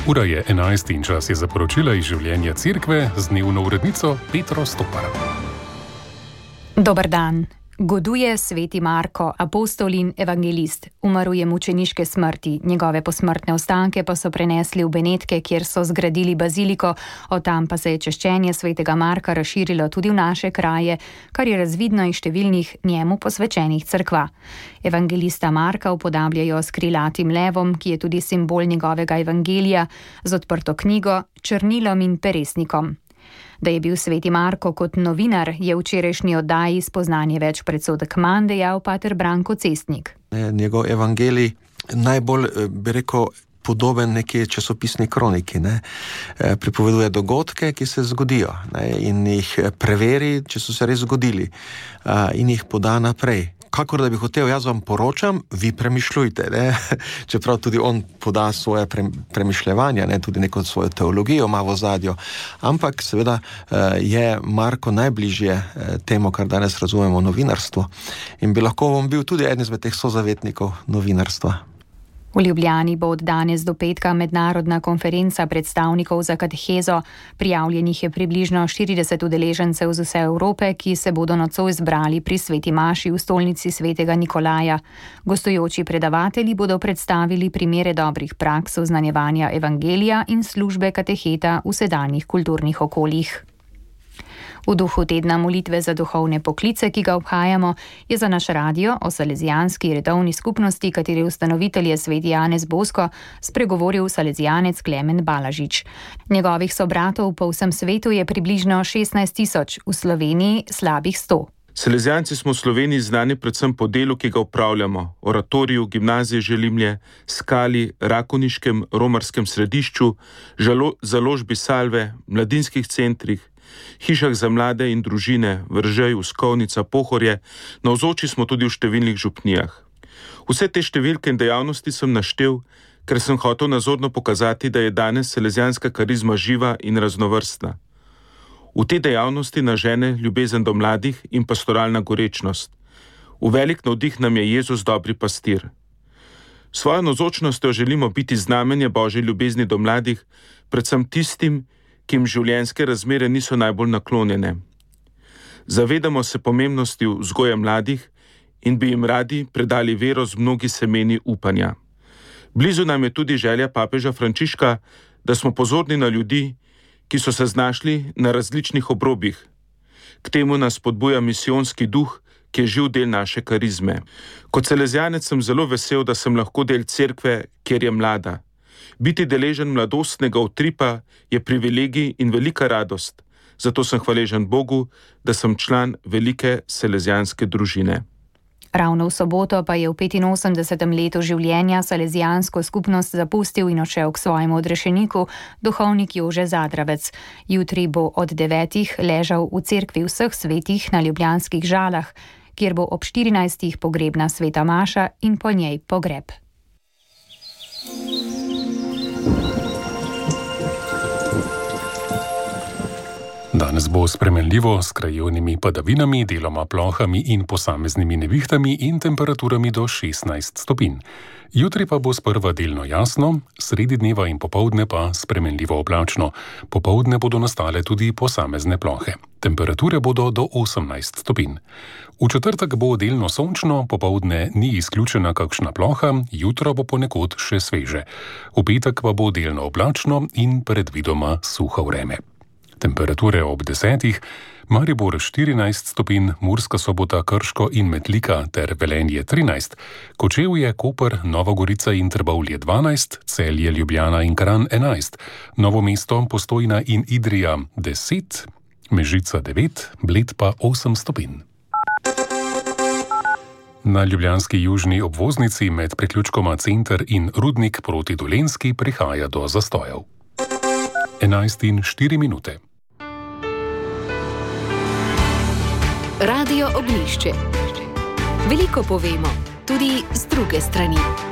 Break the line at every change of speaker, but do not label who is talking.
Ura je 11 in čas je za poročila iz življenja cerkve z dnevno urednico Petro Stopar.
Dober dan. Goduje sveti Marko, apostol in evangelist. Umrl je mučeniške smrti, njegove posmrtne ostanke pa so prenesli v Benetke, kjer so zgradili baziliko, od tam pa se je češčenje svetega Marka razširilo tudi v naše kraje, kar je razvidno iz številnih njemu posvečenih cerkva. Evangelista Marka upodabljajo s krilatim levom, ki je tudi simbol njegovega evangelija, z odprto knjigo, črnilom in peresnikom. Da je bil sveti Marko kot novinar, je v včerajšnji oddaji Spoznanje več predsodek manj dejal pater Branko Cestnik.
Njegov evangelij najbolj, bi rekel, podoben neki časopisni kroniki. Pripoveduje dogodke, ki se zgodijo, in jih preveri, če so se res zgodili, in jih poda naprej. Kakor da bi hotel, jaz vam poročam, vi premišljujte. Čeprav tudi on poda svoje premišljevanja, tudi neko svojo teologijo ima v ozadju. Ampak seveda je Marko najbližje temu, kar danes razumemo, novinarstvo. In bi lahko on bil tudi eden izmed teh sozavetnikov novinarstva.
V Ljubljani bo od danes do petka mednarodna konferenca predstavnikov za katehezo. Prijavljenih je približno 40 udeležencev z vse Evrope, ki se bodo nocoj zbrali pri sveti maši v stolnici svetega Nikolaja. Gostujoči predavatelji bodo predstavili primere dobrih praks oznanjevanja evangelija in službe kateheta v sedanjih kulturnih okoljih. V duhu tedna molitve za duhovne poklice, ki ga obhajamo, je za naš radio o salezijanski redovni skupnosti, katere ustanovitelj je sveti Janez Bosko, spregovoril salezijanec Klemen Balažič. Njegovih sobratov po vsem svetu je približno 16 000, v Sloveniji slabih 100.
Salezijanci smo v Sloveniji znani predvsem po delu, ki ga opravljamo, oratoriju, gimnaziji Želimlje, Skali, Rakoniškem, romarskem središču, založbi Salve, mladinskih centrih, hišah za mlade in družine, Vržej, Uskovnica, Pohorje, navzoči smo tudi v številnih župnijah. Vse te številke in dejavnosti sem naštel, ker sem hotel nazorno pokazati, da je danes salezijanska karizma živa in raznovrstna. V te dejavnosti nažene ljubezen do mladih in pastoralna gorečnost. V velik navdih nam je Jezus dobri pastir. Svojo navzočnostjo želimo biti znamenje Božje ljubezni do mladih, predvsem tistim, ki jim življenjske razmere niso najbolj naklonjene. Zavedamo se pomembnosti vzgoje mladih in bi jim radi predali vero z mnogi semeni upanja. Blizu nam je tudi želja papeža Frančiška, da smo pozorni na ljudi, ki so se znašli na različnih obrobjih. K temu nas spodbuja misijonski duh, ki je živ del naše karizme. Kot salezijanec sem zelo vesel, da sem lahko del cerkve, kjer je mlada. Biti deležen mladostnega utripa je privilegij in velika radost, zato sem hvaležen Bogu, da sem član velike salezijanske družine.
Ravno v soboto pa je v 85. letu življenja salezijansko skupnost zapustil in odšel k svojemu odrešeniku duhovnik Jože Zadravec. Jutri bo od 9 ležal v cerkvi vseh svetih na ljubljanskih Žalah, kjer bo ob 14 pogrebna sveta maša in po njej pogreb.
Danes bo spremenljivo s krajevnimi padavinami, deloma plohami in posameznimi nevihtami in temperaturami do 16 stopinj. Jutri pa bo sprva delno jasno, sredi dneva in popoldne pa spremenljivo oblačno. Popoldne bodo nastale tudi posamezne plohe. Temperature bodo do 18 stopinj. V četrtek bo delno sončno, popoldne ni izključena kakšna ploha, jutro bo ponekod še sveže. V petek pa bo delno oblačno in predvidoma suho vreme. Temperature ob 10, Maribor 14 stopinj, Murska Sobota, Krško in Metlika ter Velenje 13, Kočevje, Koper, Nova Gorica in Trbovlje 12, Celje, Ljubljana in Kranj 11, Novo mesto, Postojna in Idrija 10, Mežica 9, Bled pa 8 stopinj. Na ljubljanski južni obvoznici med priključkoma Center in Rudnik proti Dolenjski prihaja do zastojev. 11:04.
Radio Oglišče. Veliko povemo, tudi z druge strani.